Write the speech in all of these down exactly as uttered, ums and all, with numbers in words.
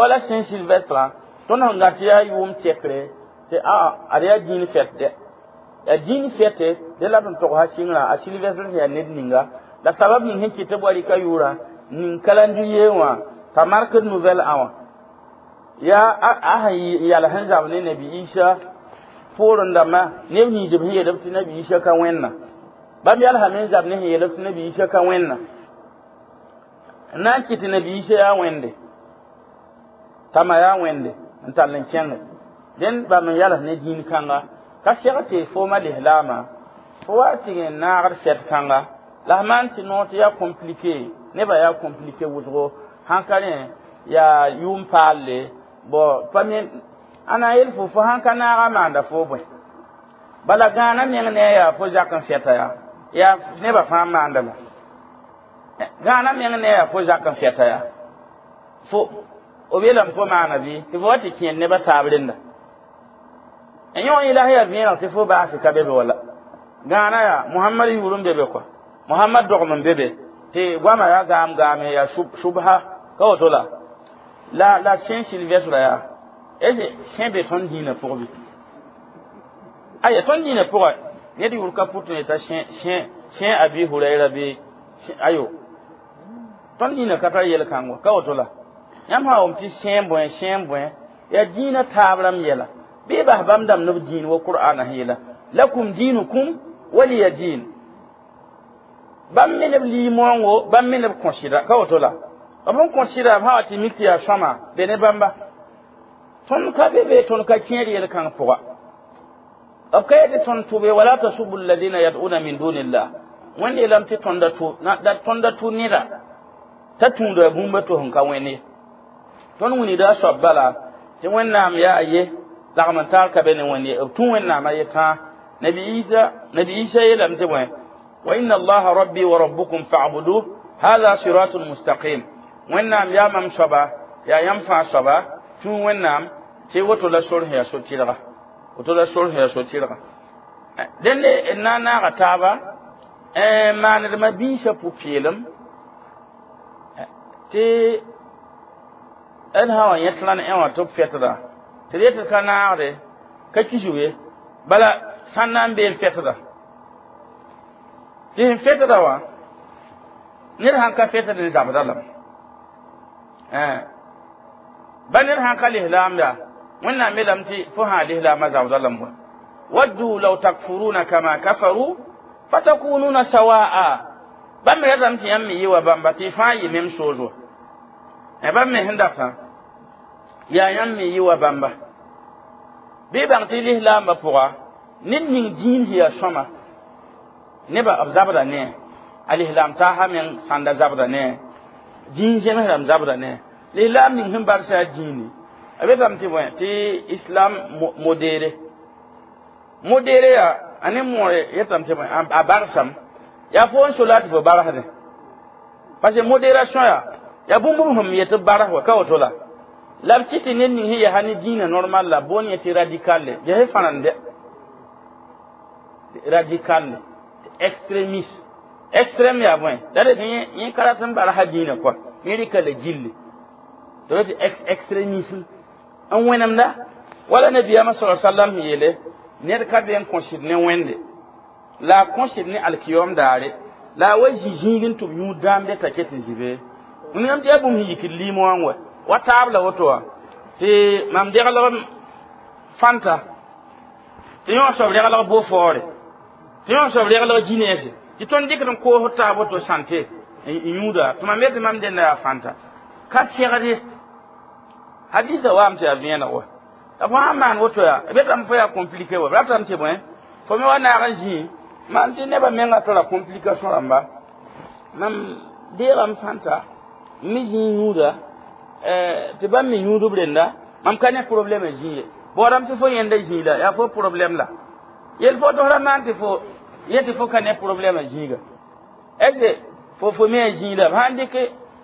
Wala Saint Sylvestre tõnd sẽn gat yaa yʋʋm tɛkre tɩ a ad yaa dĩin fɛt dɛ yaa dĩin fɛte dẽ la b sẽn togs a sɩngrã a Sylvestre sẽn yaa ned ninga la sabab ning sẽn kɩt tɩ b wa rɩka yʋʋrã ning calendrier wã t'a markd nouvelle an wã yaa a sẽn yal sẽn zab ne nabi Isa poorẽ dãmbã neb nins b sẽn yeel b tɩ nabi Isa ka wẽnna bãmb yalsame n zab ne sẽn yeel b tɩ nabi Isa ka wẽnna n na n kɩt tɩ nabi Isa yaa wẽnde t'a ma yaa wẽnde n tall n kẽnge dẽn bãmb n yals ne dĩin kãnga ka seg tɩ fooma lislaamã fo wa tɩg n naagd fɛt kãnga la f maan tɩ noor tɩ yaa compliqué nebã yaa compliqué wʋsgo sãn ka rẽ yaa yʋʋm paalle bon pa me a na n yel fo fo sãn ka naaga maanda fo bõe bala gãana meng ne a yaa fo zak n fɛta yaa yaa nebã fãa maanda la gãana meng ne a yaa fo zak n fɛta yaa fo b yeelame fo maana bɩ tɩ fo wa tɩ kẽer nebã taab renda n yõ yẽla sẽn yaa vẽeneg tɩ fo baase ka be be wala gãana yaa Mohamad yʋʋr n be be kɔa Mohamad dogem n be be tɩ goama yaa gaam gaame yaa subha ka woto la la la Saint Sylvestre yaa est sẽn be tõnd dĩinã pʋgẽ bɩ aya tõnd dĩinã pʋgã ned yʋʋr ka pʋt n yeta Saint Abi Hurayra bɩ ayo tõnd dĩinã ka tar yel-kãngo ka woto la yãmb sã wʋm tɩ sẽn bõe sẽn bõe yaa dĩinã taab rãmb yɛla bɩ bas bãmb dãmb ne b dĩin wa qur'ana sẽn yeela lakum dinukum waliya din bãmb me ne b limoongo bãmb me ne b kõsɩda ka woto la b sẽn kõsɩda b sã wa tɩ mik tɩ yaa sõma be ne bãmba tõnd ka be be tõnd ka kẽer yel-kãng pʋga b ka yetɩ tõnd tʋbe wala tasubu alladina yad'una min dunillah wẽnd yeelame tɩ tõnda tʋ tõnda tʋ neda t'a tũuda bũmba to sẽn ka wẽnd ye tõnd wilgda a soab bala tɩ wẽnnaam yaa a ye lagm n taar ka be ne wẽnd ye b tũ wẽnnaam a ye tãa nabi Isa nabi Isa yeelame tɩ bõe wa inna allaha rabbi wa rabbukum fa'buduh hadha siratun mustaqim wẽnnaam yaa mam soaba yaa yãmb fãa soaba tũ wẽnnaam tɩ woto la sor sẽn yaa so-tɩrga woto la sor sẽn yaa so-tɩrga dẽnde n na n naaga taaba n maanedmã biisã pʋ-peelem tɩ d sã wa yẽ trãn ẽ wã tɩ b fɛtda tɩ d yetɩ ka naagde ka kisg ye bala sãn na n bee n fɛtda tɩ sẽn fɛtda wã ned sãn ka fɛtd n zabda lame ba ned sãn ka lislaam yaa wẽnnaam yeelame tɩ fo sã lislaamã zabda lame wa waddu law takfuruna kama kafaru fatakununa sawa'a bãmb me ratame tɩ yãmb me yɩ wa bãmba tɩ fãa yɩ même chose wa bãmb me sẽn datã yaa yãmb me yɩ wa bãmba bɩ bãng tɩ lislaambã pʋga ned ning dĩin sẽn yaa sõma nebã b zabda ne a lislaam taasa meng sãnda zabda ne dĩin zems rãmb zabda ne lislaam ning sẽn barsa yaa dĩini a betame tɩ bõe tɩ islam modéré modéré yaa a ne moore yetame tɩ bõe a barsam yaa fo n so la tɩ fo barsdẽ parce que modération yaa yaa bũmb sẽn yetɩ bars wa ka woto la la b kɩ tɩ ned ning sẽn yaa ne dĩinã normal la boon yẽ tɩ radical le ges fãrende radical le extrémiste extrême yaa bõe la d yẽ ka rat n barsa dĩinã kɔa yẽ rɩka la gilli tɩ tɩ extrémisme n wẽnemda wala nabiyaamã sa sallam sẽn yeele ned ka be n kõsd ne wẽnde la a kõsd ne alkiyom daare la a wa zĩ zĩig n tɩ b yũud dãamde t'a ket n zĩ be wẽnnaam tɩ yaa bũmb sẽn yikd liim wã n wa wa taab la woto wã tɩ mam deglg fãnta tɩ yõ soab reglg Beaufort tɩ yõ soab reglg Guinness tɩ tõnd dɩkd n koosd taab woto sãnte n yũuda tɩ mam yetɩ mam dẽnda yaa fãnta ka segd ye hadisa waam tɩ yaa vẽeneg wa la fo sãn maan woto yaa b yetame fo yaa compliqué wa b ratame tɩ bõe fo me wa naag n zĩ maan tɩ nebã menga tara complication rãmba mam deegame fãnta n me zĩ yũuda tɩ bãmb me yũud b renda mam ka ne problème zĩ ye baoodame tɩ fo yẽnda zĩ la yaa fo problème la yel fo tosra maan tɩ fo yetɩ fo ka ne problème zĩiga est ce que fo fo me a zĩ la b sãn dɩk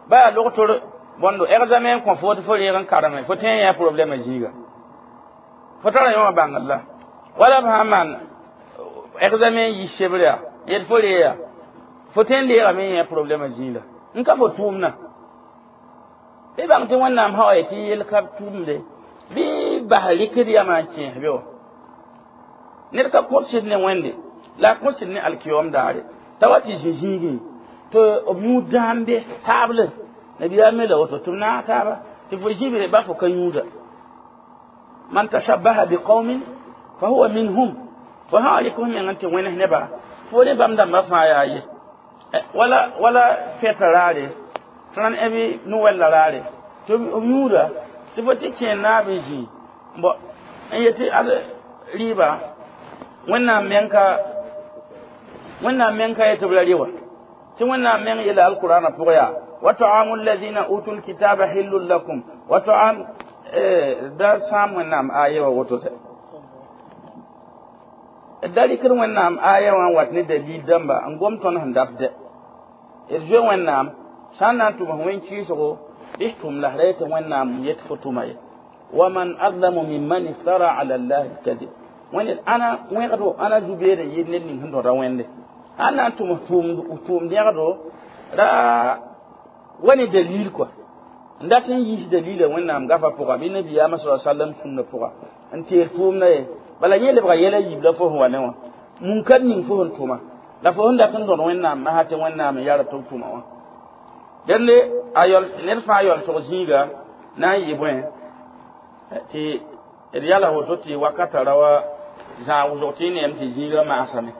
ba yaa logtor bõndo examen kõ fo tɩ fo reeg n kareme fo tõe n yã problème zĩiga fo tara yõ wã bãngr la wala b sãn maan examen yi sebre yaa yet fo reeya fo tõe n leegame n yã problème zĩig la n ka fo tʋʋmdã Bɩ bãng tɩ Wẽnnaam sã wa yetɩ yel ka tʋʋmde bɩ bas rɩkd yamã n kẽes be wã. Ned ka kõt sɩd ne Wẽnde la a kõt sɩd ne alkiyom daare t'a wa tɩ zĩ zĩigẽ tɩ b yũud dãam be taable nabiyaam me la woto tɩ b naag taaba tɩ fo zĩ be ba fo ka yũuda. Man tashabbaha biqaumin fa huwa minhum. Fo sã wa rɩk f meng n tɩ wẽnes neba fo ne bãmb dãmbã fãa yaa ye. Wala wala fɛta raare tẽn bɩ Noɛl la raare tɩ b yũuda tɩ fo tɩ kẽer naab n zĩ bõ n yetɩ ad rɩɩba Wẽnnaam meng ka Wẽnnaam meng ka yetɩ b ra rɩ wa tɩ Wẽnnaam meng yeela alqurana pʋgẽ yaa wa taamu alladhina utul kitaba hillun lakum wa taam da sãam Wẽnnaam aya wa woto tɛ da rɩkd Wẽnnaam aya wã n wat ne dalil dãmba n gom tõnd sẽn dat dɛ d zoe Wẽnnaam sã n na n tʋms wẽn-kɩɩsgo bɩ tʋm la ra yetɩ Wẽnnaam yet fo tʋma ye. Waman adlamu mimman iftara ala llahi lkadib. Wẽnd ãna wẽgdo ãna zu-beed n yɩ ned ning sẽn tõda Wẽnde sã n na n tʋms tʋʋm dẽgdo ra wa ne dalil kɔa n dat n yiis dalila Wẽnnaam gafa pʋga bɩ nabiyaamã sa sallam sũnna pʋga n teer tʋʋmda ye bala yẽ lebga yɛla yiib la fo sẽn wa ne wã munkar ning fo sẽn tʋma la fo sẽn dat n tõd Wẽnnaam masã tɩ Wẽnnaam n yara tɩ b tʋma wã. Dẽnde a yɔl ned fãa yaoolsg zĩiga na n yɩ bõe tɩ d yala woto tɩ wakata ra wa zãag wʋsg tɩ y neem tɩ zĩiga maasame.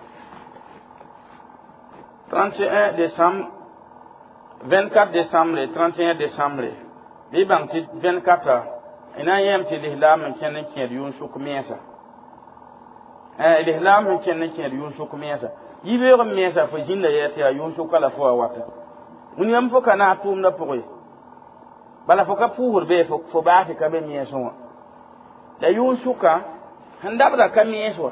trente et un décembre, vingt-quatre décembre, trente et un décembre bɩ bãng tɩ vingt-quatre y na n yẽem tɩ lislaam n kẽnd n kẽed yʋʋn sʋk mensa, lislaam sẽn kẽnd n kẽed yʋʋn sʋk mensa yibeoog n mensa fo zĩnda yɛ tɩ yaa yʋʋn sʋka la fo wa wata wĩnigame fo ka naag tʋʋmdã pʋgẽ ye bala fo ka pʋʋsd be fo baasɩ ka be mensẽ wã la yʋʋn sʋka sẽn dabda ka mens wa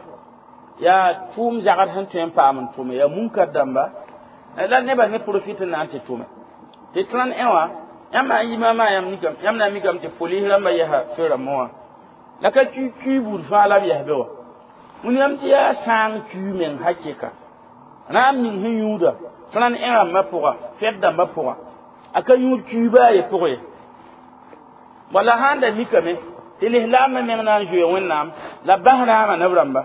yaa tʋʋm zagd sẽn tõe n paam n tʋme yaa munkar dãmba la nebã ne profit n na n tɩ tʋme tɩ trente et un wã yãmb n yɩ maama yãmb na n mikame tɩ polis rãmbã yɛsa fe rãmbã wã la ka cui cui buud fãa la b yɛs be wã wĩnigame tɩ yaa sãang cui meng hakɩka rãam ning sẽn yũuda trente et un rãmbã pʋga fɛd dãmbã pʋga a ka yũud cui baa ye pʋgẽ ye wala sãn da mikame tɩ lislaambã meng na n zoe Wẽnnaam la bas rãamã neb rãmba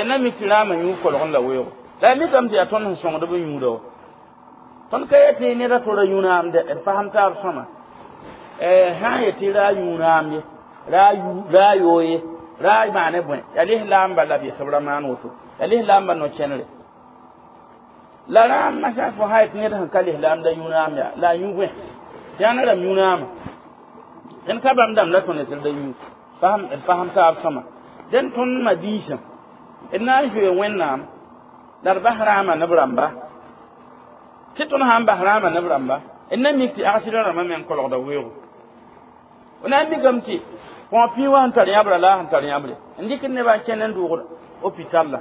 na mi tɩ rãamã yũud kolg n la weoogo la a mikame tɩ yaa tõnd sẽn sõngd b yũuda wa tõnd ka yetɩ neda to ra yũ raam dɛ d fasem taab sõma sã n yetɩ ra yũ raam ye ra yoo ye ra maane bõe yaa lislaamba la b yetɩ b ra maan woto yaa lislaamba no-kẽnere la rãam masã fo sã yetɩ ned sẽn ka lislaam da yũ raam yaa la a yũ bõe tɩ ãna rãmb yũ raamã dẽn ka bãmb dãmb la tõnd tɩ d da yũ d fasem taab sõma dẽn tõnd mabiisã d na n zoe Wẽnnaam la d bas rãamã neb rãmba tɩ tõnd sã n bas rãamã neb rãmba d na mik tɩ agsɩdã rãmbã meng kolgda weoogo f na n mikame tɩ põg pĩig wã sẽn tar yãbrã la a sẽn tar yãbre n dɩkd nebã n kẽnd n dʋʋgd hôpital la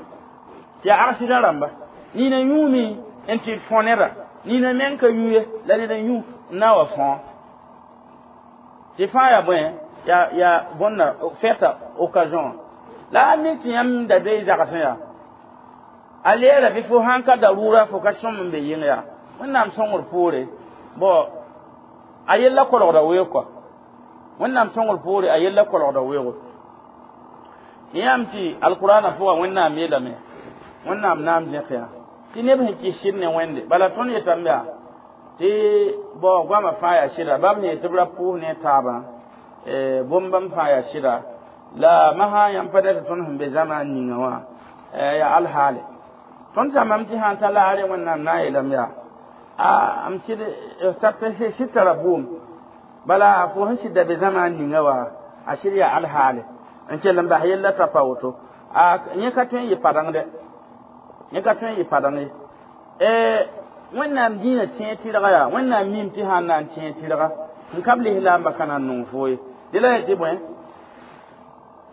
tɩ yaa agsɩdã rãmba nina yũumi n tɩ d fõ neda nina meng ka yũ ye la ned n yũ n na wa fõ tɩ fãa yaa bõe yaa yaa bõnda fɛta occasion la a mik tɩ yãmb da be zagsẽ yaa a leera bɩ fo sãn ka darura fo ka sõm n be yɩng yaa Wẽnnaam sõngr poore bon a yella kolgda weoog kɔa Wẽnnaam sõngr poore a yella kolgda weoogo yãmb tɩ alqurana pʋga Wẽnnaam yeelame Wẽnnaam naam zẽk yaa tɩ neb sẽn kɩs sɩd ne Wẽnde bala tõnd yetame yaa tɩ bao goamã fãa yaa sɩda bãmb sẽn yetɩ b ra pʋʋs ne taabã bõmb-bãmb fãa yaa sɩda la masã yãmb pa dat tõnd sẽn be zãma ninga wã yaa alhaale tõnd zãmbame tɩ sã n ta laare Wẽnnaam na n yeelame yaa a m sɩd sɩd tara bʋʋm bala fo sẽn sɩd da be zãma ninga wa a sɩd yaa alhaale n kell n bas yella t'a pa woto a yẽ ka tõe n yɩ padeng dɛ yẽ ka tõe n yɩ padeng ye Wẽnnaam dĩinã tẽeg tɩrga yaa Wẽnnaam mim tɩ sã n na n tẽeg tɩrga n ka b lislaambã ka na n nong foo ye dẽ la yetɩ bõe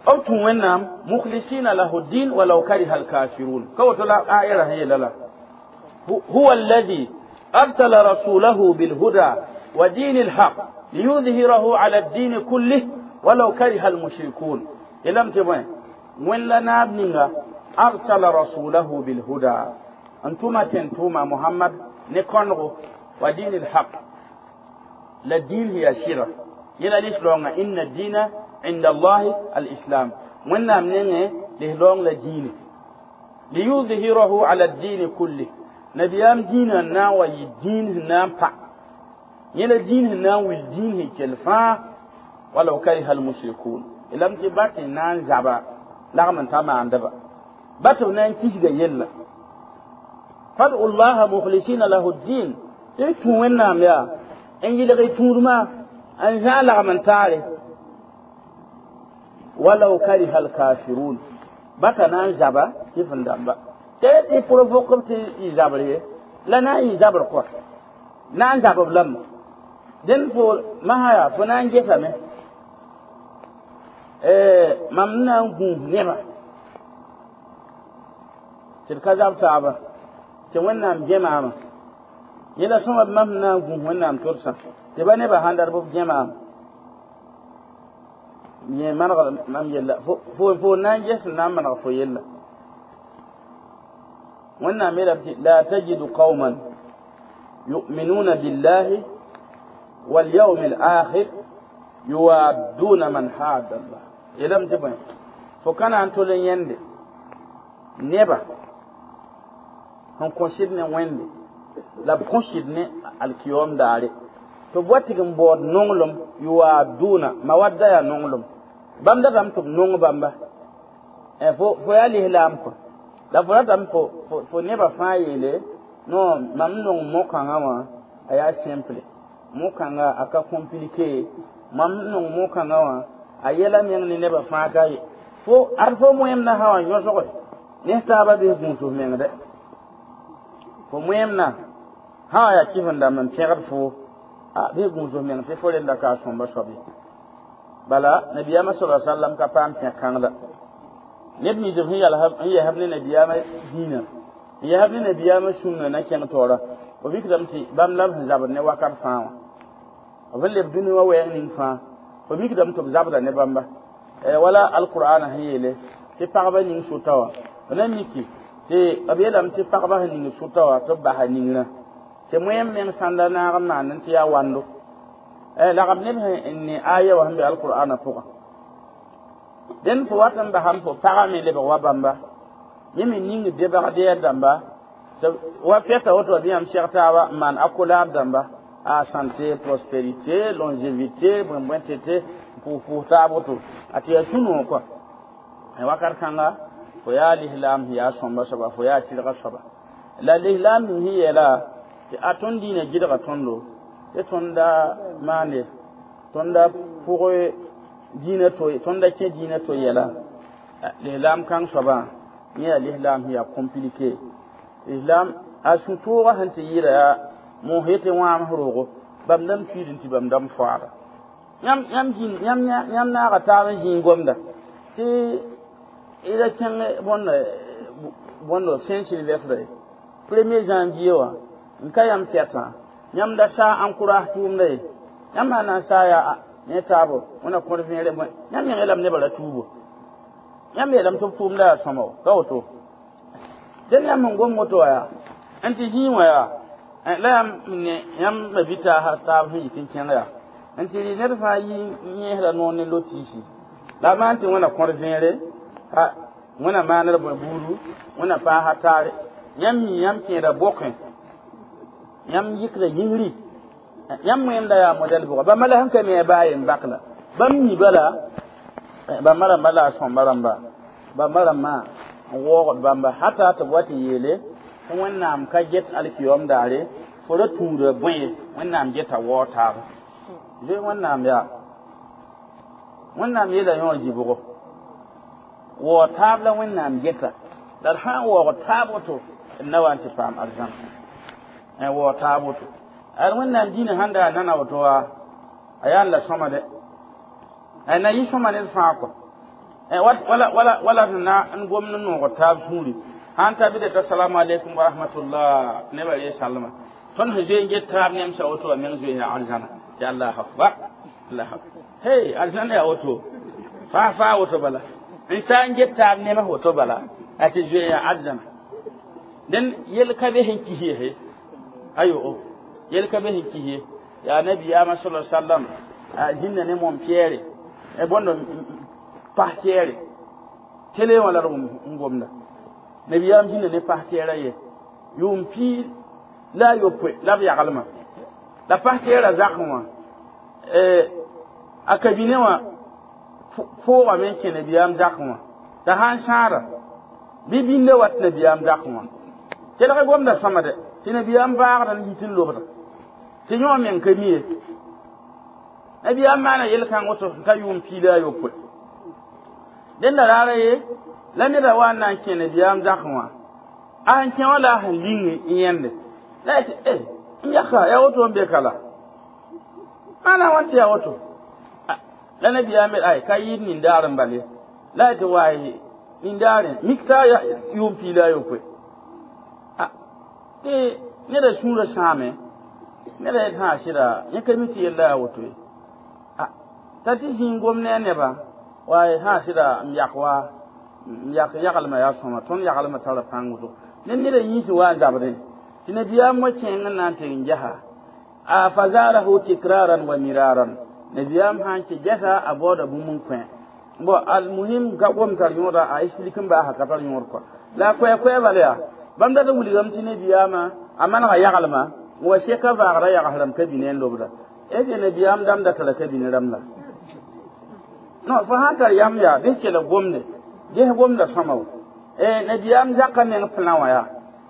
b tũ Wẽnnaam mukhlisina lahu din walau kariha alkafirun ka woto la aya ra sẽn yeela la huwa alladhi arsala rasulahu bilhuda wa dini alhaq liyudhhirahu ala ad-din kullih walau kariha almushrikun yeelame tɩ bõe Wẽnd la naab ninga arsala rasulahu bilhuda n tʋma tẽn tʋʋma Mohamad ne kõnego wa dini alhaq La dĩin sẽn yaa sɩda yẽla lislaoongã inna dĩina inda allahi alislam wẽnnaam nengẽ lislaoong la dĩine liyuzhirahu ala dini kulli nabiyaam dĩinã n na n wa yɩ dĩin sẽn na n pa yẽla dĩin sẽn na n wil dĩin sẽn kell fãa walaw kariha almushrikun lame tɩ ba tɩ na n zaba lagm n ta maandba ba tɩ b na n kisga yella fad'u llaha mukhlisina lahu ddin tɩ tũ wẽnnaam yaa n yɩlg y tũudmã n zã lagm n taare walaw kariha alkafirun bata na n zaba tɩ fẽn dãmba tɩ tɩ provoke b tɩ y zabr ye la na n yɩ zabr kɔa na n zab b lame dẽnd fo masã yaa fo na n gesame mam na n gũus nebã tɩ d ka zab taaba tɩ wẽnnaam gẽ maama yẽla sõma b mam sẽn na n gũus wẽnnaam todsã tɩ ba nebã sãn dat b gẽ maam yẽ maneg mam yella fo fo na n ges n na n maneg fo yella wẽnnaam yeelame tɩ la tajidu qauman yu'minuna billahi walyawmi alakhir yuwadduna man haada allah yeelame tɩ bõe fo ka na n tol n yẽnde neba sẽn kõsd ne wẽnde la b kõsd ne alkiyom daare tɩ b wa tɩg n baood nonglem yuwadduna mawadda yaa nonglem bãmb datame tɩ b nong bãmba fo fo yaa lislaam kɔ la fo ratame fo fo nebã fãa yeele non mam nong mo-kãngã wã a yaa simple mo-kãngã a ka compliqué mam nong mo-kãngã wã a yɛla meng ne nebã fãa ka ye fo ad fo moẽmna sã wã yõsge ne taaba bɩs gũus f meng dɛ fo moẽmna sã wã yaa kɩf n dãmb n pẽgd fo a bɩ gũus f meng tɩ fo renda ka a sõmba soab ye bala nabiyaamã sala sallam ka paam tẽk kãngda neb nins b sẽn yɛsb ne nabiyaamã dĩinã n yɛsb ne nabiyaamã sũnã na kẽng taoora b mikdame tɩ bãmb la b sẽn zabd ne wakat fãa wã b sẽn leb dũni wã wɛɛng ning fãa fo mikdame tɩ b zabda ne bãmba wala alqur'ana sẽn yeele tɩ pagba ning sʋta wã b na miki tɩ b yeelame tɩ pagba sẽn ning sʋta wã tɩ b basa ningrã tɩ moẽm meng sãnda naag n maand tɩ yaa wando lagm neb sẽn ne aya wã sẽn be alqur'ana pʋgã dẽnd fo wat n basame fo pagã me lebg wa bãmba yẽ me ning debg deer dãmba tɩ wa fɛta woto bɩ yãmb seg taaba n maan accolade dãmba a santé prospérité longévité bõe bõe tete pʋʋs pʋʋs taab woto a tɩ yaa sũ-noog kɔa wakat kãnga fo yaa lislaam sẽn yaa sõmba soaba fo yaa tɩrga soaba la lislaam ning sẽn yeela tɩ a tõnd diinã gɩdga tõndo tɩ tõnda maande tõnda pʋg diinã to tõnda kẽ diinã to yɛla lislaam kãng soabã yẽ yaa lislaam sẽn yaa compliqué islam a sũ-toogã sẽn tɩ yɩɩda yaa moos yetɩ wãams roogo bãmb dãmb piid n tɩ bãmb dãmb foaada yãmb yãmb yãmb naaga taab n zĩig gomda tɩ y ra kẽng bõnd bõndo saint sylvestre premier janvier wã n ka yãmb fɛtã yãmb da saa encourage tʋʋmda ye yãmb sã na n saa yaa ne taabo wẽna kõd vẽere bõe yãmb meng yeelame nebã ra tuubo yãmb yeelame tɩ b tʋʋmda yaa sõma ka woto dẽn yãmb sẽn gom woto wã yaa n tɩ zĩig wã yaa la yãmb ne yãmb ma bi-taasã taab sẽn yit n kẽng yaa n tɩ rɩ ned fãa yi yẽesda noor ne lo-tiisi la a maan tɩ wẽna kõd vẽere wẽna maaned bõe buudu wẽna paasa taare yãmb mi yãmb kẽeda bokẽ yãmb yikda yĩngri yãmb wẽmda yaa modɛl bʋga bãmba la sẽn ka mi a baa yen bak la bãmb mi bala bãmba rãmba la a sõmba rãmba bãmba rãmbã n waoogd bãmba hata tɩ b wa tɩ yeele tɩ wẽnnaam ka get alkiyom daare fo ra tũuda bõe wẽnnaam geta waoog taaba zoe wẽnnaam yaa wẽnnaam yeela yõ zɩbgo waoog taab la wẽnnaam geta la d sã n waoog taab woto d na wa n tɩ paam arzãn waoog taab woto ad wẽnnaam dĩinã sãn da nana woto wa a yaa n la sõma dɛ na yɩ sõma ned fãa kɔ wala wala wala na n gom n noog taab sũuri sãn ta bɩ t'a salamu aleykum wa rahmatullah nebã ree salma tõnd sẽn zoe n get taab nemsa woto wã meng zoe yaa arzãna tɩ allah akbar allah hey arzãna yaa woto faa faa woto bala n sa n get taab nems woto bala a tɩ zoe yaa arzãna dẽn yel ka be sẽn kis ye ayo yel ka be sẽn kis ye Yaa nabiyaamã sala sallam a zĩnda ne mom pɛɛre bõnd pas tɛɛre télé wã la d n gomda. Nabiyaam zĩnda ne pas tɛɛrã ye yʋʋm piig la a yopoe la b yaglmã la pas tɛɛrã zakẽ wã a kabine wã foogame n kẽ nabiyaam zakẽ wã t'a sãn sãada bɩ bĩndã wat nabiyaam zakẽ wã kelg gomda sõma de tɩ nabiyaam vaagd n yit n lobda tɩ yõ meng ka mi ye. Nabiyaam maana yel-kãng woto n ta yʋʋm piig la a yopoe. Dẽnda raara ye la neda wa n na n kẽ nabiyaam zakẽ wã a sẽn kẽ wã la a sẽn ling n yẽnde la ya tɩ e n yaka yaa woto n be ka la maana wãn tɩ yaa woto la nabiyaam ay ka yɩɩd nindaar n bal ye la ya tɩ waay nindaarẽ mik t'a yʋʋm piig la a yopoe tɩ neda sũurã sãame neda yet sã sɩda yẽ ka mi tɩ yella yaa woto ye t'a tɩ zĩig gom ne a neba waay sã sɩda n yak wa n yak yaglmã yaa sõma tõnd yaglmã tara pãng woto ne neda yĩns wa n zabdẽ tɩ nabiyaam wa kẽeng n na n tɩ n gesa a fazarahu tikraran wa miraran. Nabiyaam sã n kẽ gɛsa a baooda bũmb n kõ bon almuhim ka gom tar yõoda a explique n baasa ka tar yõod kɔa la a koɛɛ-koɛɛ bala yaa bãmb dat n wilgame tɩ nabiyaamã a manega yaglmã n wa seka vaagra yags rãmb ka bine n lobda est ce nabiyaam dãmb da tara ka bine rãmb la non fo sãn tar yam yaa bɩs kell gomde ges gomda sõma wo nabiyaam zaka meng plã wã yaa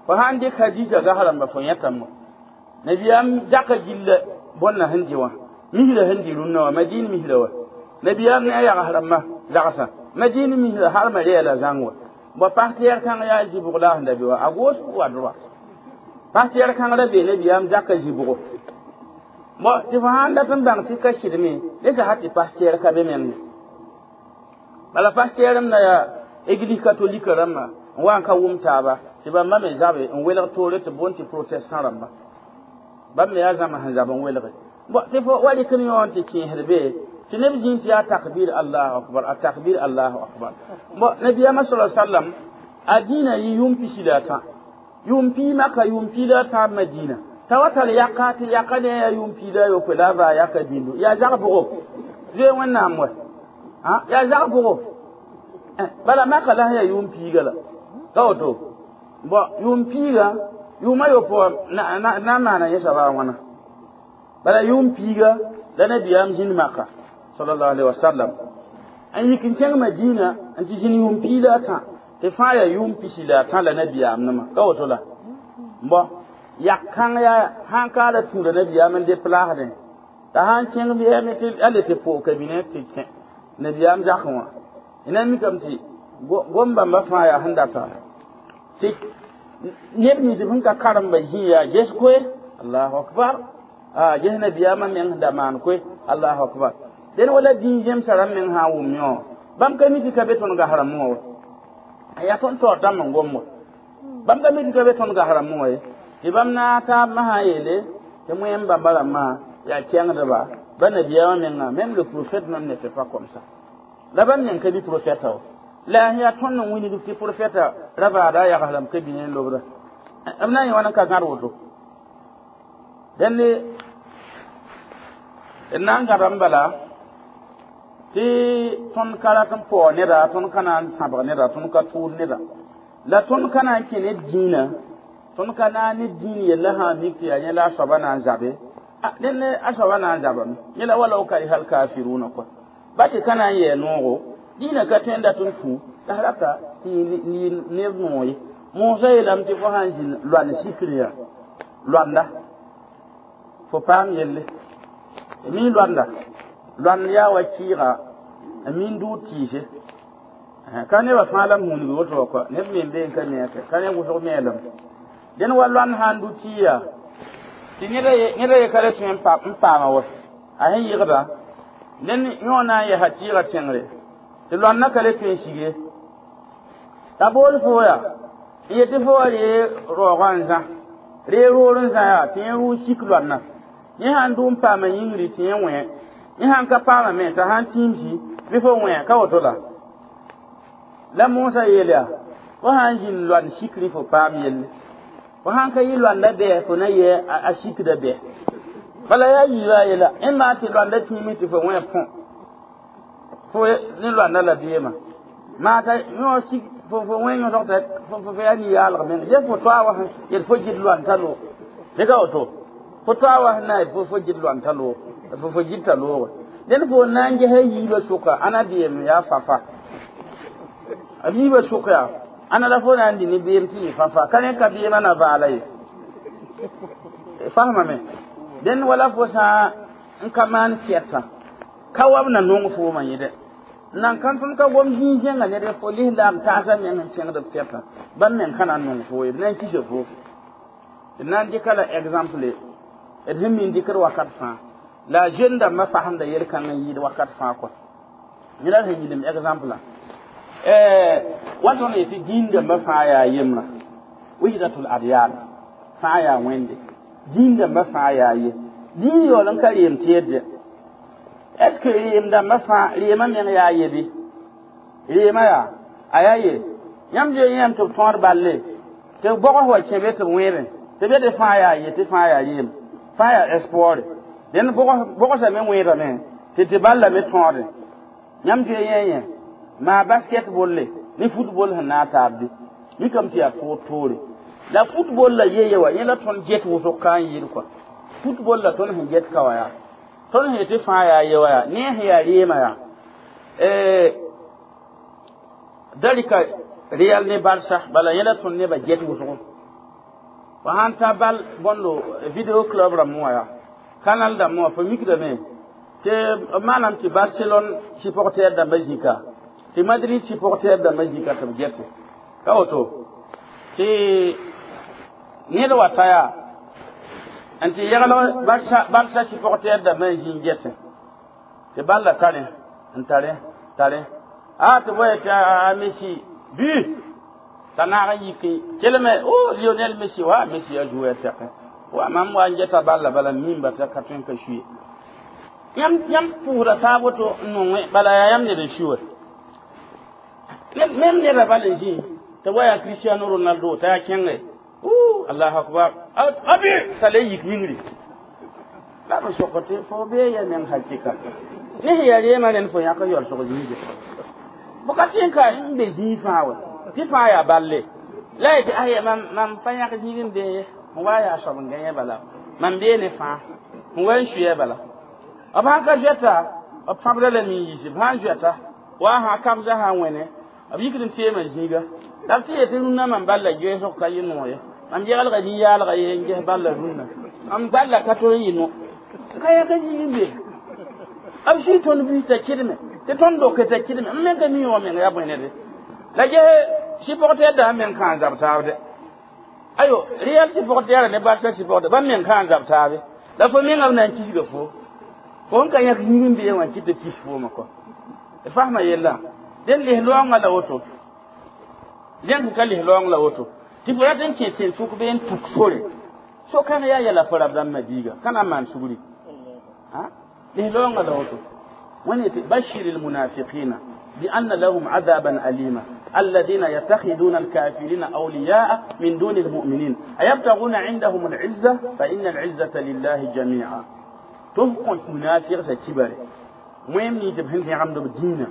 fo sãn dɩk hadisa gas rãmba fo yẽtame nabiyaam zaka gilla bõnna sẽn dɩ wã misra sẽn dɩ rũnnã wã madin misra wa nabiyaam ne a yags rãmbã zagsã madin misra halmã reela zãng wa bo pas tɛɛr kãng yaa zɩbg la a sẽn da be wa à gauche ou à droite pas tɛɛr kãng ra be nabiyaam zaka zɩbgo bo tɩ fo sãn dat n bãng tɩ ka sɩdme ne sa tɩ pas tɛɛr ka be meng bala pas tɛɛrem na yaa église catholique rãmbã n wa n ka wʋm taaba tɩ bãmba me zabe n welg toore tɩ boond tɩ protestant rãmba bãmb me yaa zãma sẽn zab n welge bo tɩ fo wa rɩk n yõ n tɩ kẽesd be tɩ neb zĩig tɩ yaa takbir allahu akbar a takbir allahu akbar bo nabiyaamã sa sallam a dĩinã yɩ yʋʋm pisi la a tã yʋʋm pii maka yʋʋm pii la a tãab madina t'a wa tar yaka tɩ yaka ne yaa yʋʋm pii la a yopoe la a baa yaka bĩndu yaa zag bʋgo zoe wẽnnaam wa yaa zag bʋgo bala maka la sẽn yaa yʋʋm piiga la ka woto bo yʋʋm piiga yʋʋma yopoe na n maana yẽ soaba a wãna bala yʋʋm piiga la nabiyaam zĩnd maka sallallahu alaihi wasallam n yik n kẽng madina n tɩ zĩnd yʋʋm pii la a tã tɩ fãa yaa yʋʋm pisi la a tã la nabiyaam nima ka woto la bo yak kãng yaa sãn ka la tũuda nabiyaam n deplaasdẽ t'a sãn kẽng bɩ tɩ a le tɩ poog kabine tɩ kẽ nabiyaam zakẽ wã na mikame tɩ gom bãmba fãa yaa sẽn data tɩ neb nins sẽn ka karemba zĩ yaa ges koe allahu akbar a ges nabiyaamã meng sẽn da maan koe allahu akbar dẽn wala dĩin zemsã rãmb meng sã n wʋm yõ bãmb ka mi tɩ ka be tõnd gas rãmbẽ wã wa yaa tõnd taoor dãmb n gom wa bãmb ka mi tɩ ka be tõnd gas rãmbẽ wã ye tɩ bãmb na taab masã yeele tɩ moẽm bãmba rãmbã yaa kẽngdba ba nabiyaamã menga même le prophète même n'était pas comme ça la bãmb meng ka bi prophète wa la yaa tõnd n wilg tɩ prophète ra baada a yags rãmb ka bĩne n lobda b na n yẽ wãn n ka gãd woto dẽnd d na n gãdame bala tɩ tõnd ka rat n paoog neda tõnd ka na n sãbg neda tõnd ka tʋʋd neda la tõnd ka na n kẽ ne dĩinã tõnd ka na ne dĩin yella sã n mik tɩ yaa yẽ la a soaba na n zabe dẽnd a soaba na n zabame yẽ la walaw kariha alkafiruna kɔa ba tɩ ka na n yɛɛ noogo dĩinã ka tõe n dat n fu la rata tɩ neb noog ye moosã yeelame tɩ fo sã n zĩnd loand sikr yaa loanda fo paam yelle mi loanda loand yaa wa kɩɩga n min dʋʋd tɩɩse ka nebã fãa la m hũunigi woto wa kɔa neb me n bee n ka mi ka ne wʋsg meelem dẽn wa loand sã n dʋ tɩ yaa tɩ neda ye ka le tõe n paama wa a sẽn yɩgda ned yõ na n yɛsa tɩɩgã tẽngre tɩ loandã ka le tõe n sige t'a bool fo yaa n yetɩ fo wa ree raoogã n zã ree roor n zã yaa tɩ yẽ rʋʋ sik loandã yẽ sãn dʋ n paama yĩngri tɩ yẽ wẽ yẽ sãn ka paama me t'a sãn tĩimsi bɩ fo wẽ ka woto la la moosã yeel yaa fo sãn zĩnd loand sikri fo paam yelle fo sãn ka yɩ loanda bɛɛ fo na yɛ a sikda bɛɛ Bala yaa yiiba a yela ẽ maa tɩ loanda tĩime tɩ fo wẽ põ fo ne loanda la beema maa t'a yõ sig fo fo wẽ yõsg t'a fo fo yaa ni-yaalg meng ye fo toa wa yet fo gɩd loan t'a loog dɩka woto fo toa wa sẽn na yet fo fo gɩd loan t'a loog fo fo gɩd t'a looge dẽnd fo na n gesa yiibã sʋka ãna beem yaa fafa a yiibã sʋk yaa ãna la fo na n dɩ ne beem tɩ yɩ fãfa ka rẽ ka beemã na vaala ye fasmame dẽnd wala fo sã n ka maan sɛtã ka wa b na nong foomã yẽde nan kan tõnd ka gom zĩig-zẽnga ned fo lislaam taasã meng n kẽngd b sɛtã bãmb meng ka na n nong fo ye b na n kisa fo d na n dɩka la exemple d sẽn min dɩkd wakat fãa la jeune dãmbã fasemda yel-kãng n yɩɩd wakat fãa kɔa ned sẽn yĩlem exemple wa tõnd yetɩ dĩin dãmbã fãa yaa yembrã wihdatul adyan fãa yaa wẽnde dĩin dãmbã fãa yaa ye dĩin yaool n ka reem tẽedde est ce que reem dãmbã fãa reemã meng yaa ye bɩ reemã yaa a yaa ye yãmb zoe yẽem tɩ b tõod balle tɩ b bɔgs wa kẽ be tɩ b wẽebẽ tɩ be tɩ fãa yaa ye tɩ fãa yaa reem fãa yaa espoir dẽnd bɔgsame wẽedame tɩ tɩ balla me tõode yãmb zoe yẽ yẽ maa basketball le ne football sẽn na n taab bɩ mikame tɩ yaa toor toore la football la ye ye wa yẽ la tõnd get wʋsg ka n yɩɩd kɔa football la tõnd sẽn get ka wa yaa tõnd sẽn yetɩ fãa yaa ye wa yaa ne sẽn yaa reemã yaa da rɩka Real ne Barça bala yẽ la tõnd nebã get wʋsgo fo sãn ta bal bõndo video club rãmb wã yaa canal dãmb wã fo mikdame tɩ b maanam tɩ Barcelone supporter dãmbã zĩka tɩ Madrid supporter dãmbã zĩka tɩ b gete ka woto tɩ ned wa ta yaa n tɩ yɛglg Barça supporter dãmbã n zĩ n gete tɩ balla tare n tare tare a tɩ boye tɩ a Messi bu t'a naag n yik kelme o Lionel Messi wa Messi a jouer tɛkẽ wa mam wa n geta balla bala mimba t'a ka tõe n ka suye yãmb yãmb pʋʋsda taab woto n nongẽ bala yaa yãmb ned n sui wa même neda bal n zĩ tɩ wa yaa Cristiano Ronaldo t'a yaa kẽnge allahu akbar abi t'a le yik yĩngri la b sok tɩ fo bee ya neng hakɩka ne sẽn yaa reemã rẽnd fo yãk n yaool sog zĩige fo ka tẽ ka n be zĩig fãa wa tɩ fãa yaa balle la yetɩ aya mam mam pa yãk zĩig n bee ye n wa yaa soab n gãe bala mam bee ne fãa n wa n suya bala b sãn ka zoɛta b pãbda la nin yiisi b sãn zoɛta wa sã kabsã sã n wẽne b yikd n teemã zĩiga la b tɩ yetɩ rũnnã mam balla goeesg ka yɩ noog ye mam yegelga nin-yaalga ye n ges balla rũnnã mam balla ka tol n yɩ no ka yãk zĩig n be b sui tõnd buis t'a kɩdme tɩ tõnd doke t'a kɩdme m meng ka mi wã meng yaa bõe nede la ges supporter dã meng kãan zab taabde ayo Real supporter ne Barça supporter bãmb meng kãan zab taabe la fo menga b na n kisga fo fo n ka yãk zĩig n bee wã kɩ tɩ kis foomã kɔ d fasma yella dẽn lis-loaongã la woto zẽnk ka lis-loaong la woto tɩ fo rat n kẽ tẽn-sʋk bee n tuk sore so-kãng yaa yɛla fo rab dãmbã biiga ka na n maan sugri lis-loaongã la woto wẽnd yetɩ bashir lmunafiqina بأن لهم عذابا أليما الذين يتخذون الكافرين أولياء من دون المؤمنين أيبتغون عندهم العزة فإن العزة لله جميعا تفقون منافق سكبر مهم نيتب هن في عمد الدين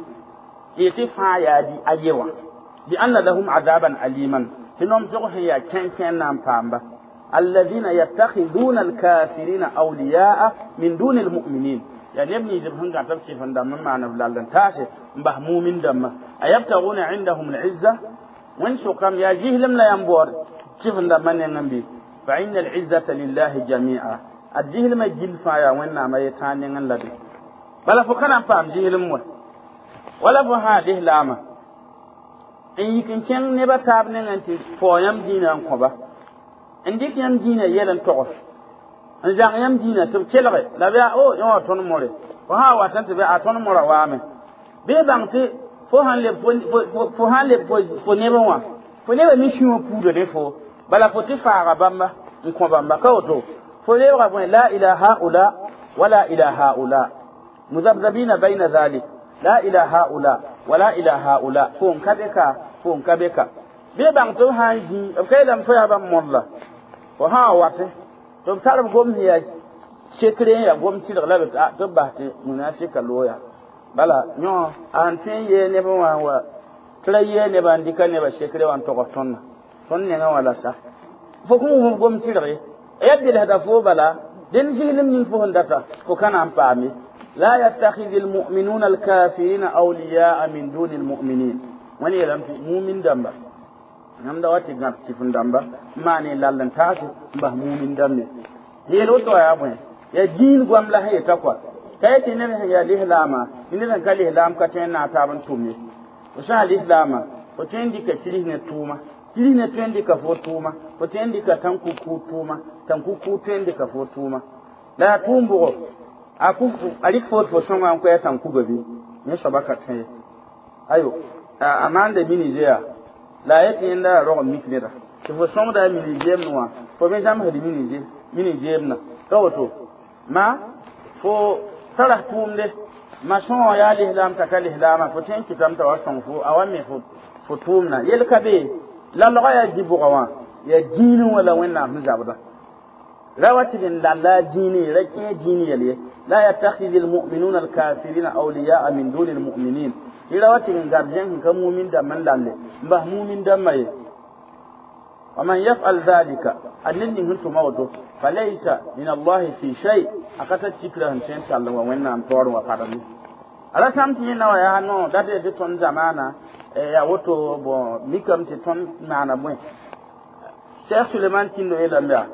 يتفع يا دي أيوة بأن لهم عذابا أليما تنوم تقول يا كان كان نام بامبا الذين يتخذون الكافرين أولياء من دون المؤمنين يعني يبني جبهن قاعد تبكي فندم معنا بلالن تاشي مبه مؤمن دم أيبتغون عندهم العزة وين سقام يا جهلم لا ينبور كيف ندم من ينبي فإن العزة لله جميعا الجهل ما جيل فايا وين ما يتاني لدي بلا فكنا فهم جهل مو ولا فهذه لاما إن يمكن كان نبى تابن أنت فويم دينا كوبا عندك يم دينا يلن تقف n zãg yãmb dĩinã tɩ b kelge la b yaa o yẽ wã tõnd more fo sã n wa tɩ bɩ a tõnd mora waame bɩ bãng tɩ fo sãn leb fo sãn leb fo nebã wã fo nebã me sũwã puuda ne fo bala fo tɩ faaga bãmba n kõ bãmba ka woto fo lebga bõe la ila haula wala ila haula muzabzabina bayna dhalik la ila haula wala ila haula fo n ka be ka fo n ka be ka bɩ bãng tɩ b sã n zĩ b ka yeelame fo yaa bãmb modla fo sã n watẽ tɩ b tar b gom sẽn yaa Sekre ya gom tɩrg la b tɩ b bas tɩ munafika looya bala yõ a sẽn tõe n yee neb wã wa tɩ ra yee nebã n dɩka nebã sekre wã n togs tõndã tõnd nengã wã la sa fo kõn wʋm gom tɩrg ye ya belsda fo bala dẽn zɩglem ning fo sẽn data fo ka na n paame. لا يتخذ المؤمنون الكافرين أولياء من دون المؤمنين. Wani yeelame tɩ mumin dãmba yãmb da wa tɩ gãb kɩf dãmba n maan lall n taase n bas mumin dãmbe yeel woto yaa bõe yaa dĩin goam la sẽn yeta kɔa ka yetɩ ned sẽn yaa lislaama ned sẽn ka lislaam ka tõe n naag taab n tʋm ye fo sã lislaama fo tõe n dɩka kiris ne tʋʋma kiris ne tõe n dɩka fo tʋʋma fo tõe n dɩka tãn-kukuud tʋʋma tãn-kukuud tõe n dɩka fo tʋʋma la yaa tʋʋm bʋgo a ku a rɩk foot fo sõnga n koɛɛ tãn-kuga bɩ yẽ soaba ka tõe ye ayo a maanda minizeya la a yetɩ yẽnda yaa rog n mik neda tɩ fo sõngda a mini-zeemd wã fo me zãmsd mini-zeemdã ka woto ma fo tara tʋʋmde ma sõngã yaa lislaam t'a ka lislaamã fo tõe n kɩtame t'a wa sõng fo a wa me fo fo tʋʋmdã yel ka be la logã yaa zĩ-bʋgã wã yaa dĩinẽ wã la Wẽnnaam sẽn zabda ra wa tɩ n lalla a dĩinẽ ra kẽ dĩin yɛl ye. لا يتخذ المؤمنون الكافرين أولياء من دون المؤمنين. Ira wa tɩ n gardien sẽn ka mumin dãmb n lalle n bas mumin dãmbã ye. ومن يفعل ذلك a ned ning sẽn tʋma woto فليس من الله في شيء a ka tar tikra sẽn tõe n tall n wa Wẽnnaam taoor n wa padame a ra sãm tɩ yẽnda wã yaa no dat tɩ tõnd zamaana yaa woto bon mikame tɩ tõnd maana bõe Cheikh Suleman Tindo yeelame yaa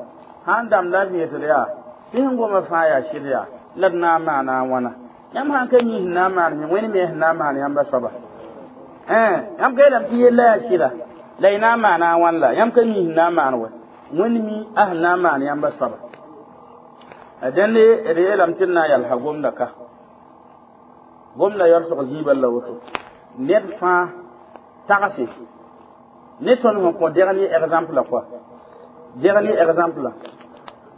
sãn dãmb la vẽesd yaa tɩ sẽn goma fãa yaa sɩd yaa la d na n maana a wãna yãmb sãn ka mi sẽn na n maan Wẽnd me sẽn na n maan yãmba soaba yãmb ka yeelame tɩ yella yaa sɩda la y na n maana a wãn la yãmb ka mi sẽn na n maan wa Wẽnd mi a sẽn na n maan yãmba soaba dẽnde d yeelame tɩ d na n yalsa gomda ka gomda yaoolsg zĩibã la woto ned fãa tagse ne tõnd sẽn kõ deg ne exemple la kɔa deg ne exemple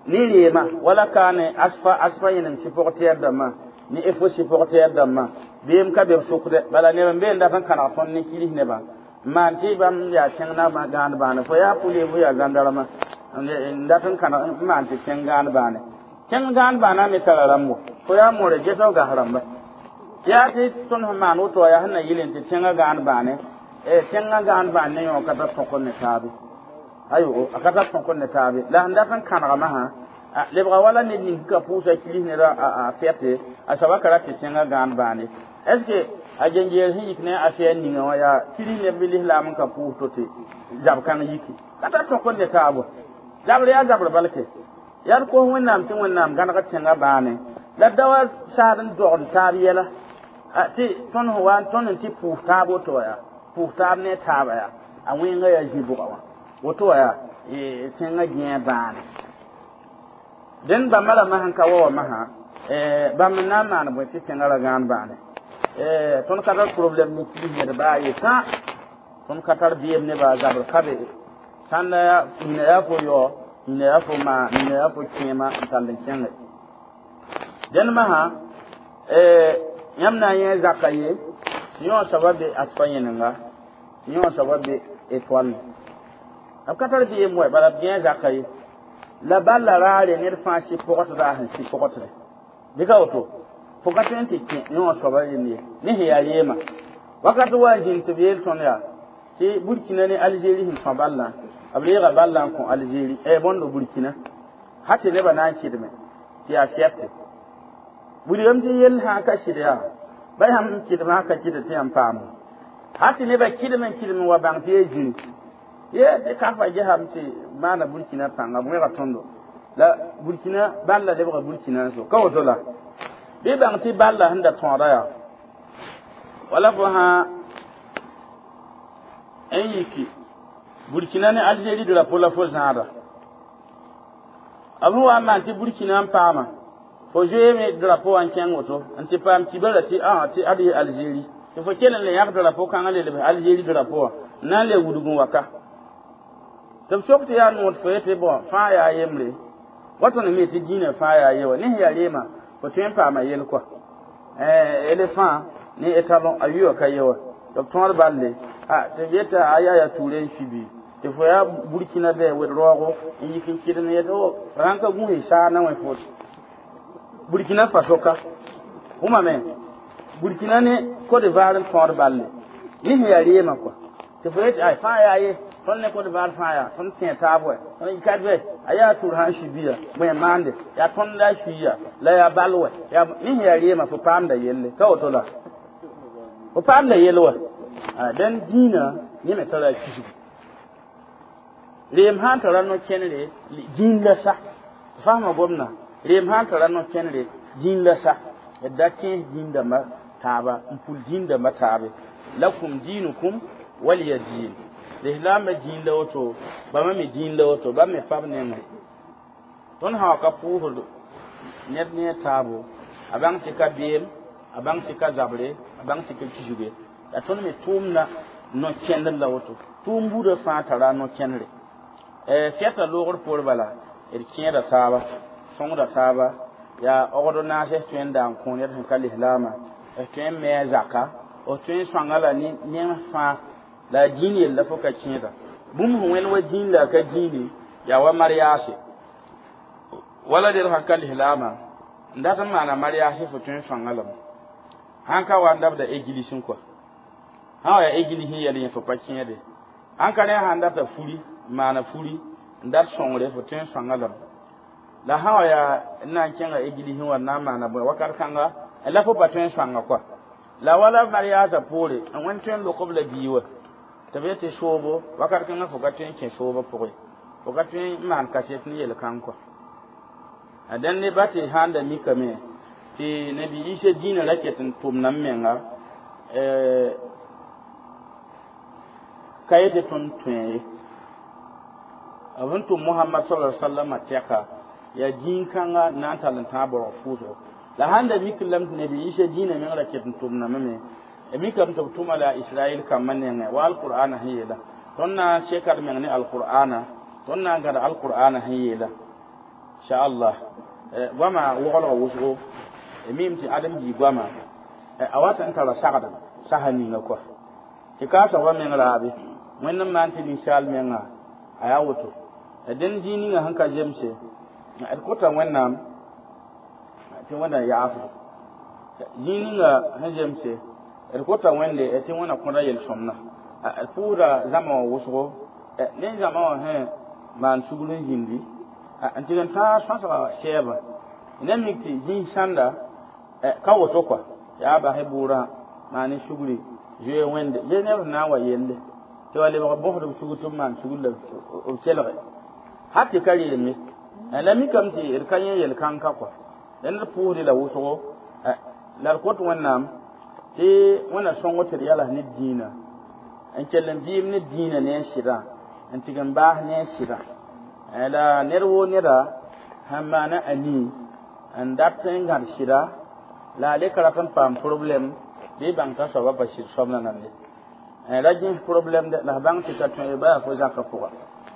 ne reema wala ka ne asfa asfa yẽnem supporter dãmbã ne efo supporter dãmbã beem ka be b sʋkdɛ bala neb n be n dat n kãneg tõnd ne kiris nebã n maan tɩ bãmb yaa kẽng na gãand bãane fo yaa pʋle fo yaa zãndarmã n dat n kãneg n maan tɩ kẽng gãand bãane kẽng gãand bãana me tara rãmbo fo yaa moore ges f gas rãmba yaa tɩ tõnd sẽn maan woto yaa sẽn na yɩl tɩ tẽngã gãand bãane tẽngã gãand bãan ne yõ ka tar tõk ne taabe ayo a ka tar tõk ne taabe la sẽn dat n kãnegmã sã lebga wala ned ning ka pʋʋsa kiris ned a fɛte a soaba ka rat tɩ tẽngã gãand bãane est ce que a gengeer sẽn yik ne a fɛɛ ninga wã yaa kiris neb bɩ lislaam n ka pʋʋs to tɩ zab kãng yiki ka tar tõk ne taabo zabr yaa zabr balke yaa d kos Wẽnnaam tɩ Wẽnnaam gãneg tẽngã bãane la da wa saad n dogd taab yɛla tɩ tõnd sẽn wa tõnd n tɩ pʋʋs taab woto wa yaa pʋʋs taab ne taaba yaa a wẽnga yaa zĩ-bʋga wã woto wa yaa tẽngã gẽe bãane dẽn bãmba rãmbã sẽn ka wa wa masã bãmb n na n maan bõe tɩ tẽngã ra gãan bãane tõnd ka tar problème ne kiis ned baa ye sã tõnd ka tar beem ne baa zabr ka be sãn la nina yaa fo yao nina yaa fo maa nina yaa fo kẽema n tall n kẽnge dẽnd masã yãmb na n yẽ zaka ye tɩ yõ soaba be asfa yẽnenga tɩ yõ soaba be étoile b ka tar beem wa bala b gẽ zaka ye la balla raare ned fãa sɩ pʋgtda a sẽn sɩ pʋgtde bɩ ka woto fo ka tõe n tɩ kẽ yõ soaba rẽnd ye ne sẽn yaa reema wakat wa n zĩnd tɩ b yeel tõnd yaa tɩ Burkina ne Algérie sẽn tõ ballã b reega ballã n kõ Algérie bõndo Burkina ha tɩ nebã na n kɩdme tɩ yaa fɛrte wilgame tɩ yell sã n ka sɩd yaa ba yãmb n kɩdmã ka kɩd tɩ yãmb paamo ha tɩ nebã kɩdm n kɩdm n wa bãng tɩ yaa zĩri ye tɩ kafa gesame tɩ maana Burkina pãnga b wẽga tõndo la Burkina balla lebga Burkina n so ka woto la bɩ bãng tɩ balla sẽn da tõoda yaa wala fo sã n yiki Burkina ne Algérie drapeau la fo zãada b sẽn wa n maan tɩ Burkina n paama fo zoeeme drapeau wã n kẽng woto n tɩ paam kibara tɩ a tɩ ad yɩ Algérie tɩ fo kell n le yãg drapeau kãngã le lebs Algérie drapeau wã n na n le wudg n wa ka tɩ b sok tɩ yaa nood fo yetɩ bõn fãa yaa yembre wa tõnd me tɩ dĩinã fãa yaa ye wa ne sẽn yaa reema fo tõe n paama yel kɔa éléphant ne étalon a yʋa ka ye wa tɩ b tõod balle a tɩ b yeta a yaa yaa tuure n subi tɩ fo yaa Burkina bɛ wed raoogo n yik n kɩdem yetɩ o rãn ka gũus saar na wẽ fo Burkina Faso ka wʋmame Burkina ne Côte d'Ivoire n tõod balle ne sẽn yaa reemã kɔa tɩ fo yetɩ ay fãa yaa ye tõnd ne Côte d'Ivoire fãa yaa tõnd tẽ taab wɛ tõnd ka bɛ a yaa tur sã n sui bia bõe maande yaa tõnd la a suiya la yaa bal wɛ yaa ne sẽn yaa reemã fo paamda yelle ka woto la fo paamda yell wɛ dẽn dĩinã yẽ me tara a kisgu reem sã n tara no-kẽnere dĩin la sa fasma gomdã reem sã n tara no-kẽnere dĩin la sa d da kẽes dĩin dãmba taaba n pul dĩin dãmba taabe lakum diinukum waliya diin lislaambã dĩin la woto bãmba me dĩin la woto bãmb me pa b nengẽ tõnd sã wa ka pʋʋsd ned ne a taabo a bãng tɩ ka beem a bãng tɩ ka zabre a bãng tɩ ka kisge la tõnd me tʋʋmda no-kẽndr la woto tʋʋm buudã fãa tara a no-kẽndre fɛta loogr poor bala d kẽeda taaba sõngda taaba yaa ogd naas d tõe n daa n kõ ned sẽn ka lislaamã d tõe n me a zaka d tõe n sõanga la ne fãa la a dĩin yella fo ka kẽeda bũmb sẽn wẽnd wa dĩin la a ka dĩine yaa wa mariaase wala ned sãn ka lislaamã n dat n maana mariaase fo tõe n sõanga lame sãn ka wa n dabda egilisẽ kɔa sã wa yaa egilis n yɛl yẽ fo pa kẽede sãn ka rẽ sãn data furi n maana furi n dat sõngre fo tõe n sõanga lame la sã wa yaa n na n kẽnga egilisẽ wa n na n maana bõe wakat kãnga la fo pa tõe n sõanga kɔa la wala mariaasã poore n wẽnd tõe n lok b la bii wa tɩ b yetɩ soobo wakat kãngã fo ka tõe n kẽ soobã pʋgẽ fo ka tõe n maan kaset ne yel-kãng kɔa dẽnd ne ba tɩ sãn da mikame tɩ nabi Isa dĩinã ra ket n tʋmda m menga ka yetɩ tõnd tõe ye b sẽn tʋm Mohamad sallallahu alaihi wasallam tɛka yaa dĩin-kãnga n na n tall n tãag baoog pʋʋsgo la sãn da mik lame tɩ nabi Isa dĩinã meng ra ket n tʋmdame me mikame tɩ b tʋma la Israɛl kambã nengẽ wa alqur'ana sẽn yeela tõnd na n seka d meng ne alqur'ana tõnd na n gãd alqur'ana sẽn yeela inchallah goama woglga wʋsgo mim tɩ ãdem-bii goama a wat n tara sagd sasa ninga kɔa tɩ kaasgba meng raabe wẽnd n maan tɩ ninsaal menga a yaa woto dẽnd zĩig ninga sẽn ka zemse d kota wẽnnaam tɩ wẽnna yaafdo zĩig ninga sẽn zemse d kota wẽnde tɩ wẽnna kõda yel-sõmda d pʋʋsda zãma wã wʋsgo ne zãma wã sẽn maan sugr n zĩndi n tɩg n tãag sõsga sɛɛbã ne mik tɩ zĩig sãnda ka woto kɔa yaa basɩ bʋʋrã maan sugri zoe wẽnde bɩ neb sẽn na n wa yelle tɩ wa lebg bõsd b sugr tɩ b maan sugr la b kelge hal tɩ ka rɩɩlme la mikame tɩ d ka yẽ yel-kãng-ka kɔa dẽnd d pʋʋsdɩ la wʋsgo la d kot wẽnnaam tɩ wẽnna sõngo tɩ d yals ne dĩinã n kell n vɩɩm ne dĩinã ne a sɩdã n tɩg n baas ne a sɩdã la ned woo neda sãn maana a nii n dat n gãd sɩda la a le ka rat n paam problɛm bɩ bãng t'a soabã pa sɩd soab la nande ra gẽs problɛm dɛ la f bãng tɩ ka tõe ba yaa fo zakã pʋga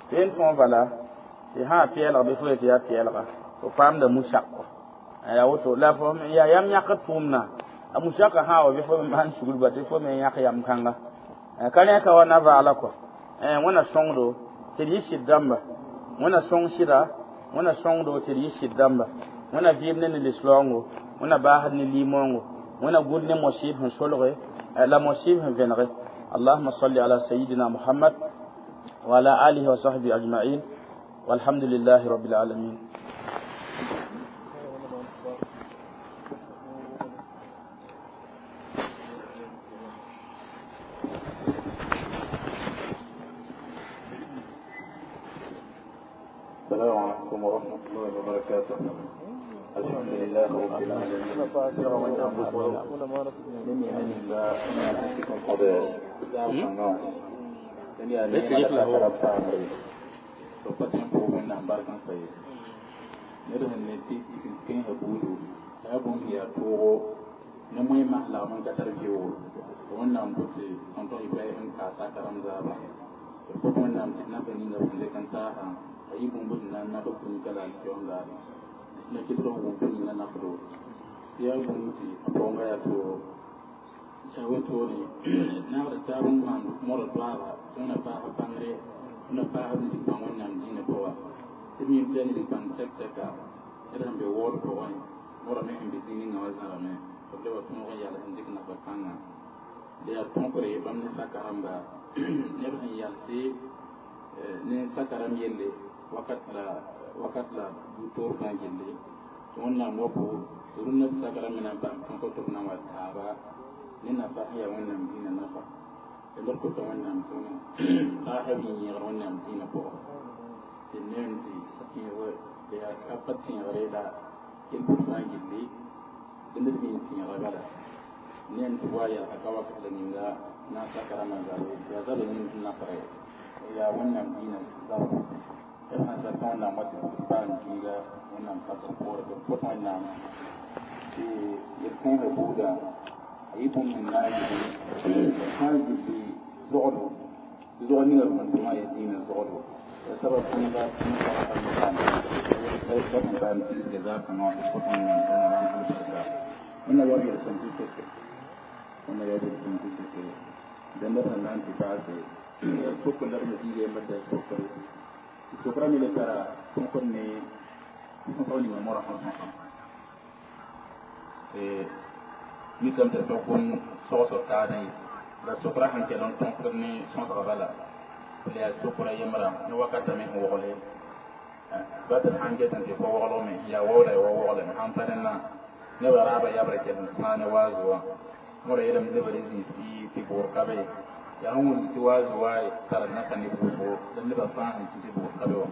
tɩ n tõog bala tɩ sã pɛɛlg bɩ fo yetɩ yaa pɛɛlga fo paamda musak kɔ yaa woto la fo yaa yam yãkd tʋʋmdã a musakã sã wa bɩ fo me maan sugr ba tɩ fo me yãk yam kãnga ka rẽ ka wa na vaala kɔ wẽnna sõngdo tɩ d yɩ sɩd dãmba wẽnna sõng sɩda wẽnna sõngdo tɩ d yɩ sɩd dãmba wẽnna vɩɩm ne ne lislaoongo wẽnna baasd ne limoongo wẽnna gũd ne mosɩɩb sẽn solge la mosɩɩb sẽn vẽnege اللهم صل على سيدنا محمد وعلى آله وصحبه أجمعين والحمد لله رب العالمين. السلام عليكم ورحمة الله وبركاته. الحمد لله رب العالمين. Na kɩtg n wʋm ninga nafdo tɩ yaa bũmb tɩ a paoonga yaa tooro yaa wetore naagd taab n maan modg doaaga tɩ wẽna paasb bãngre wẽna paasb nidg-bãng wẽnnaam dĩinã pʋga tɩ d mim tɩ yaa nidg-bãng tɛk-tɛka ned sẽn be waood pʋgẽ Mora me sẽn be zĩig ninga wã zãrame b leba tõog n yals n dɩk nafa kãnga la yaa tõkre bãmb ne saka rãmba neb sẽn yalse ne saka rãmb yelle wakat la wakat la bu-toor fãa gilli tɩ Wẽnnaam wa po tɩ rũnnã tɩ saka rãmb me na n paam tõkr tɩ b na n wa taaba ne nafa sẽn yaa Wẽnnaam dĩinã nafa la ned kota Wẽnnaam tɩ paasã b yẽegr Wẽnnaam dĩinã pʋgẽ tɩ neem tɩ tẽeg yaa pa tẽegre la yel-bʋd fãa gilli tɩ ned me n tẽega bala neem tɩ wa yalga ka wakat la ninga na n saka rãmbã zabe yaa zabe ning sẽn nakre yaa Wẽnnaam dĩinã zabro b sãn sak tɩ Wẽnnaam wa tɩ paam zĩiga Wẽnnaam sakr poore tɩ b kõt Wẽnnaam tɩ yel-kãensã buudã a yɩ bũmb sẽn na n gilli sã n gilli zogdo tɩ zog ninga b sẽn tʋmã yaa dĩinã zogdo yaa sabab kãnga la sẽn paam tiisga zaab kãngã wã tɩ b kõt Wẽnnaam tɩ Wẽnnaam maan barka Wẽnna yaood yel-sõm tɩ seke Wẽnna yaood yel-sõm tɩ seke dẽnda sẽn na n tɩ paase yaa sokr la d me zĩiga yembr tɩ yaa sokre tɩ sokra me le tara tõkr ne sõsg ninga moarã sẽn sõsã tɩ mikame tɩ d pa sogsg taadã ye la sokra sẽn kell n tõkd ne sõsga bala la yaa sokra yembrã ne wakata me sẽn wogle ba tɩ d sãn get n tɩ fo woglgme yaa waoola ya wa woglme sãn pa rẽnnã nebã raabã yabrã kell n sãa ne waazu wã modã yeelame nebã re zĩisi tɩ bʋʋr ka be yaa sẽn wʋmd tɩ waazu wa tara nafa neb wʋsgo la nebã fãa sẽn tɩ tɩ bʋʋr ka be wã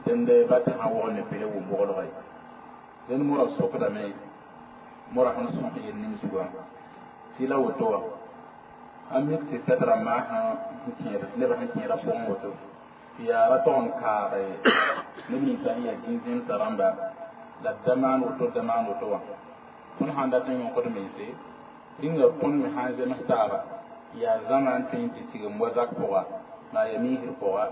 dẽnd ba tɩ sãn wogl ne pele wʋm woglga ye dẽnd modã sokdame modã sẽn sõs yel ning zugã tɩ la woto wã sãn mik tɩ fɛd rãmbã sẽn kẽed nebã sẽn kẽedã pʋgẽ woto tɩ yaa ra tog n kaage neb ninsã sẽn yaa dĩn-zẽmsã rãmba la d da maan woto da maan woto wã tõnd sãn dat n yõkd mense rĩnga tõnd me sãn zems taaba yaa zãma n tõe n tɩ tigim wa zak pʋga maa yaa miisr pʋga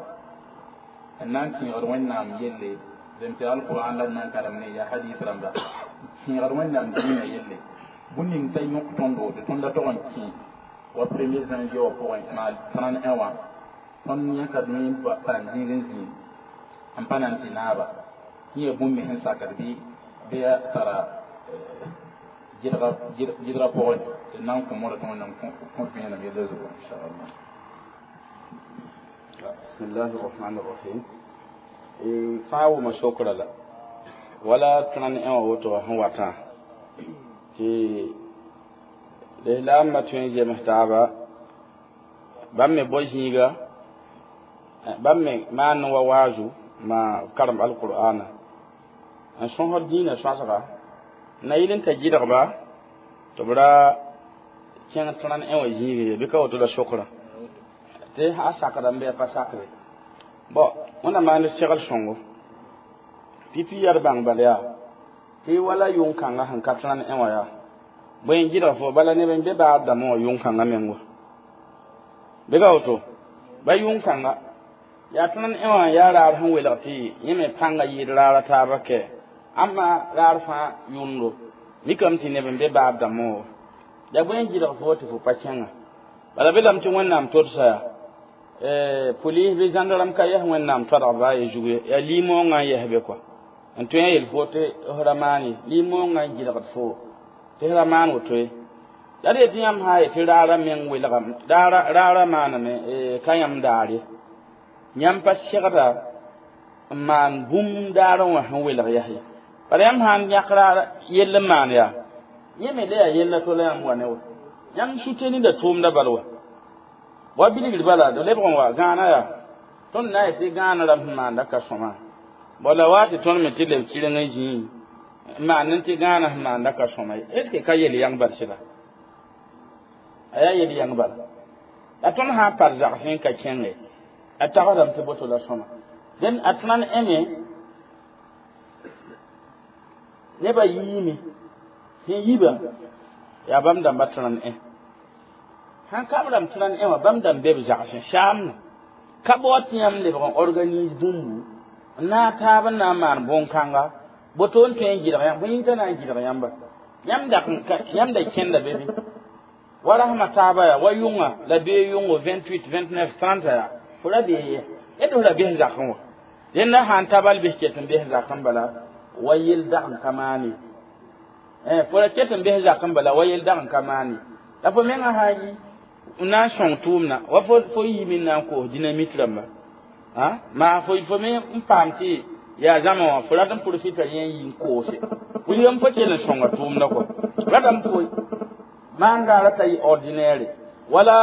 n na n tẽegd Wẽnnaam yelle zem tɩ alqur'an la d na n karem ne yaa hadis rãmba tẽegd Wẽnnaam dĩinã yelle bũmb ning t'a yõk tõndo tɩ tõnd da tog n kẽ wa premier janvier wã pʋgẽ maa trente un wã tõnd yãkadme paam zĩig n zĩig n pa na n tɩ naaba yẽ yaa bũmb me sẽn sakd bɩ bɩ yaa tara gɩdga pʋgẽ tɩ na n kõ modã tɩ Wẽnnaam kõ vẽenem yella zugu inchallah. بسم الله الرحمن الرحيم fãa wʋma sokra la wala trente un wã woto wã sẽn watã tɩ lislaambã tõe n zems taaba bãmb me bao zĩiga bãmb me maan wa waazu ma karem alqur'ana n sõsd dĩinã sõasga na yɩl n ta gɩdgba tɩ b ra kẽng trente un wã zĩig ye bɩ ka woto la sokra tɩ a sakdame bɩ a pa sakre bon Wẽnnaam maan segl sõngo pipi yaa d bãng bal yaa tɩ wala yʋng-kãngã sẽn ka trente un wã yaa bõe n gɩdg fo bala neb n be baad dãmbã wã yʋng-kãngã meng wa bɩ ka woto ba yʋng-kãnga yaa trente un wã yaa raar sẽn welg tɩ yẽ me pãnga yɩɩd raara taaba kɛ ãmba raar fãa yũndo mikame tɩ neb n be baad dãmbã wã yaa bõe n gɩdg fo tɩ fo pa kẽnga bala belame tɩ Wẽnnaam todsa yaa police bɩ zãndarame ka yɛs Wẽnnaam toadg baa ye zug ye yaa lim-moongã n yɛs be kɔa n tõe n yel fo tɩ f ra maan ye lim-moongã n gɩdgd fo tɩ f ra maan woto ye la d yetɩ yãmb sã n yetɩ raara meng welgame raara maaname ka yãmb daar ye yãmb pa segda n maan bũmb daar n wã sẽn welg yɛs ye bala yãmb sã n yãk raara yell n maan yaa yẽ me le yaa yella to la yãmb wa ne wa yãmb sutenida tʋʋmda bal wa wa bilgr bala d lebg n wa gãana yaa tõnd na n yetɩ gãana rãmb sẽn maanda ka sõma bala la wa tɩ tõnd me tɩ leb kɩreng n zĩi n maan n tɩ gãana sẽn maanda ka sõma ye est ce que ka yel yãng bal sɩda a yaa yel yãng bala la tõnd sã n par zagsẽ n ka kẽnge a tagsdame tɩ boto la sõma dẽn a trente un me nebã yiime sẽn yiba yaa bãmb dãmba trente un sãn ka b rãmb trente un wã bãmb dãmb be b zagsẽ saamna ka bao tɩ yãmb lebg n organise bũmbu n naag taab n na n maan bõn-kãnga boto n tõe n gɩdg yãmb bõe yĩnga na n gɩdg yãmba yãmb dak yãmb da kẽnda be bɩ wa rasmã taaba yaa wa yʋnga la bee yʋngo vingt-huit vingt-neuf trente yaa fo ra bee ye d f ra bes zakẽ wã dẽnda sã n ta bal bes ket n bes zakẽ bala wa yel dag n ka maane Eh fo ra ket n bes zak n bala wa yel dag n ka maan ye la fo menga sã n yi n na n sõng tʋʋmdã wa fo fo yiime n na n koos dynamite rãmba a maa fo fo me n paam tɩ yaa zãma wã fo rat n profita yẽ n yi n koose wilgame fo kell n sõnga tʋʋmdã kɔ ratame fo maan gaara t'a yɩ ordinaire wala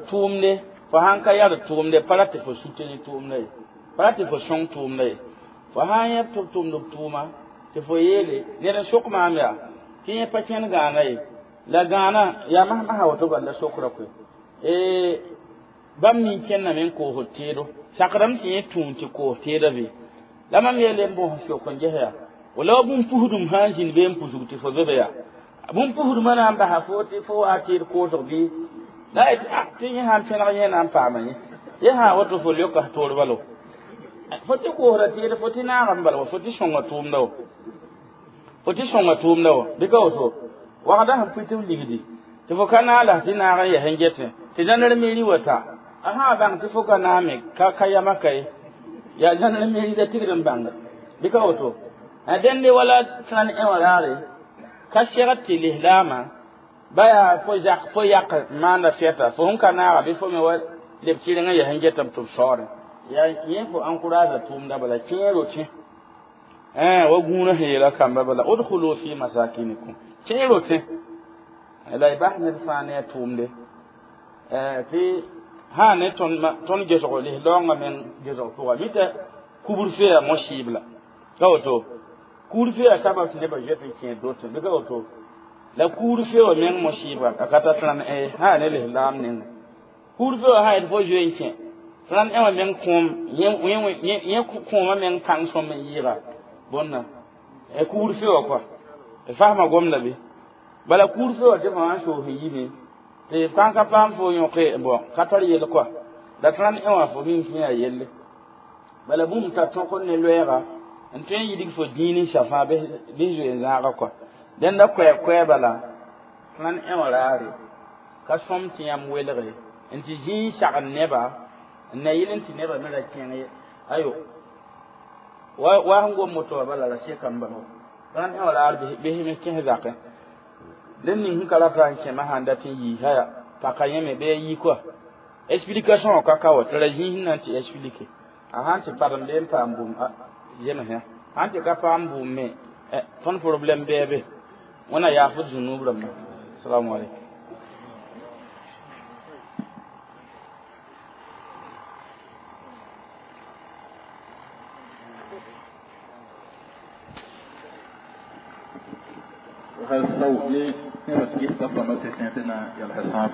tʋʋmde fo sãn ka yard tʋʋmde pa rat tɩ fo soutenir tʋʋmda ye pa rat tɩ fo sõng tʋʋmda ye fo sã n yẽ tɩ b tʋmd b tʋʋma tɩ fo yeele ned n sok maam yaa tɩ yẽ pa kẽnd gãana ye la gãana yaa mas-masã woto bala la sokra koe bãmb nin kẽndame n koosd teedo sakdame tɩ yẽ tũun tɩ koos teedã be la mam yeele n bõs sok n ges yaa wala wa bũmb pusdum sã n zĩnd bee n pusg tɩ fo zobe yaa bũmb pusdmã na n basa fo tɩ fo waa teed koosg bɩ la yetɩ tɩ yẽ sã n pẽneg yẽ na n paama yẽ yẽ sã woto fo leoka toor balo fo tɩ koosda teed fo tɩ naag n bala wa fo tɩ sõnga tʋʋmda wa fo tɩ sõnga tʋʋmda wa bɩ ka woto wagda sẽn pʋɩ tɩ b ligdi tɩ fo ka naag la tɩ naag n yɛs n getẽ tɩ zãner meri wa ta a sã bãng tɩ fo ka naame ka ka yama ka ye yaa zãner meri la tigd n bãnga bɩ ka woto a dẽnde wala trãn ẽ wã raare ka segd tɩ lislaamã ba yaa fo zak fo yak maanda fɛta fo sẽn ka naaga bɩ fo me wa leb kɩreng n yɛs n getame tɩ b saoodẽ yaa yẽ fo encourage tʋʋmda bala kẽero tẽ wa gũunã sẽn yeela kamba bala udkhulu fi masakinikum kẽero tẽ la y bas ned fãa ne a tʋʋmde tɩ sã ne tõnd gesgo lislaoongã meng gesg pʋga mita kubr-fe yaa mosibla ka woto kubr-fe yaa sabab tɩ nebã zoet n kẽed dotẽ bɩ ka woto la kubr-fe wã meng mosibga a ka ta trãn ẽ sã ne lislaam ninga kubr-fe wã sã yet fo zoe n kẽ trãn ẽ wã meng kõom yẽ kõomã meng kãng sõm n yɩɩga bõnna kubr-fe wã kɔa fasma gomda bɩ bala kubr-fe wã tɩ fo sã n soos n yime tɩ kãn ka paam fo yõke bɔn ka tar yell kɔa la trãn ẽ wã fo mim tɩ yaa yelle bala bũmb t'a tõk ne loɛɛga n tõe n yidg fo dĩin n sa fãa bɩ zoe n zãaga kɔa dẽnda koɛɛg-koɛɛ bala trãn ẽ wã raare ka sõm tɩ yãmb welge n tɩ zĩig sagn neba n na yɩl n tɩ nebã me ra kẽng ye ayo wa wa sẽn gom moto wã bala ra sekame bala trãn ẽ wã raar bɩ me kẽs zakẽ ned ning sẽn ka rata n kẽma sã n dat n yiisa ya paka yẽme bɩ a yi kɔa explication wã ka ka wa tɩ ra zĩis n na n tɩ explique a sãn tɩ padem bee n paam bũmb zemsẽ sãn tɩ ka paam bũmb me tõnd problème bɩa be wẽna yaafd zũnub rãmba assalamu alaikum hal sao ne nebã tɩ ges saf rãmbã tɩ tẽ tɩ na yals sãab